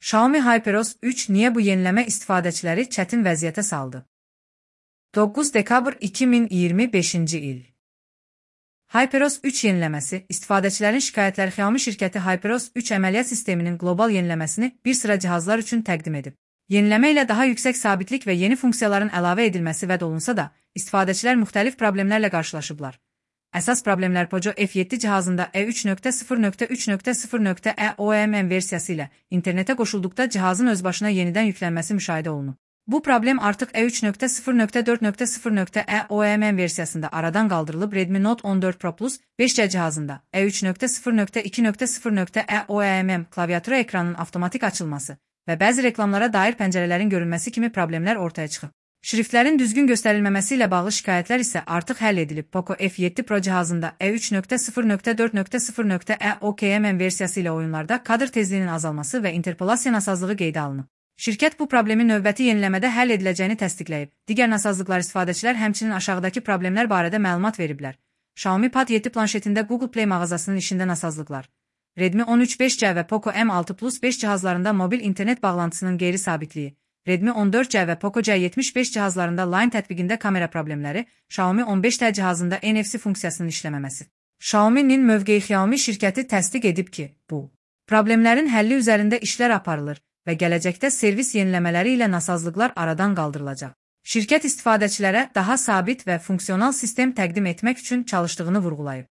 Xiaomi HyperOS 3 niyə bu yeniləmə istifadəçiləri çətin vəziyyətə saldı? 9 dekabr 2025-ci il. HyperOS 3 yeniləməsi, istifadəçilərin şikayətləri Xiaomi şirkəti HyperOS 3 əməliyyat sisteminin qlobal yeniləməsini bir sıra cihazlar üçün təqdim edib. Yeniləmə ilə daha yüksək sabitlik və yeni funksiyaların əlavə edilməsi vəd olunsa da, istifadəçilər müxtəlif problemlərlə qarşılaşıblar. Əsas problemlər Poco F7 cihazında E3.0.3.0.EOMM versiyası ilə internetə qoşulduqda cihazın özbaşına yenidən yüklənməsi müşahidə olunub. Bu problem artıq E3.0.4.0.EOMM versiyasında aradan qaldırılıb. Redmi Note 14 Pro Plus 5C cihazında E3.0.2.0.EOMM klaviatura ekranının avtomatik açılması və bəzi reklamlara dair pəncərələrin görünməsi kimi problemlər ortaya çıxıb. Şriftlərin düzgün göstərilməməsi ilə bağlı şikayətlər isə artıq həll edilib. Poco F7 Pro cihazında E3.0.4.0.EOKMM versiyası ilə oyunlarda kadr tezliyinin azalması və interpolasiya nasazlığı qeydə alınıb. Şirkət bu problemi növbəti yeniləmədə həll ediləcəyini təsdiqləyib. Digər nasazlıqlar istifadəçilər həmçinin aşağıdakı problemlər barədə məlumat veriblər. Xiaomi Pad 7 planşetində Google Play mağazasının işində nasazlıqlar. Redmi 13 5C və Poco M6 Plus 5 cihazlarında mobil internet bağlantısının qeyri-sabitliyi. Redmi 14C və Poco C75 cihazlarında Line tətbiqində kamera problemləri, Xiaomi 15T cihazında NFC funksiyasının işləməməsi. Xiaomi'nin mövqeyi Xiaomi şirkəti təsdiq edib ki, bu problemlərin həlli üzərində işlər aparılır və gələcəkdə servis yeniləmələri ilə nasazlıqlar aradan qaldırılacaq. Şirkət istifadəçilərə daha sabit və funksional sistem təqdim etmək üçün çalışdığını vurğulayıb.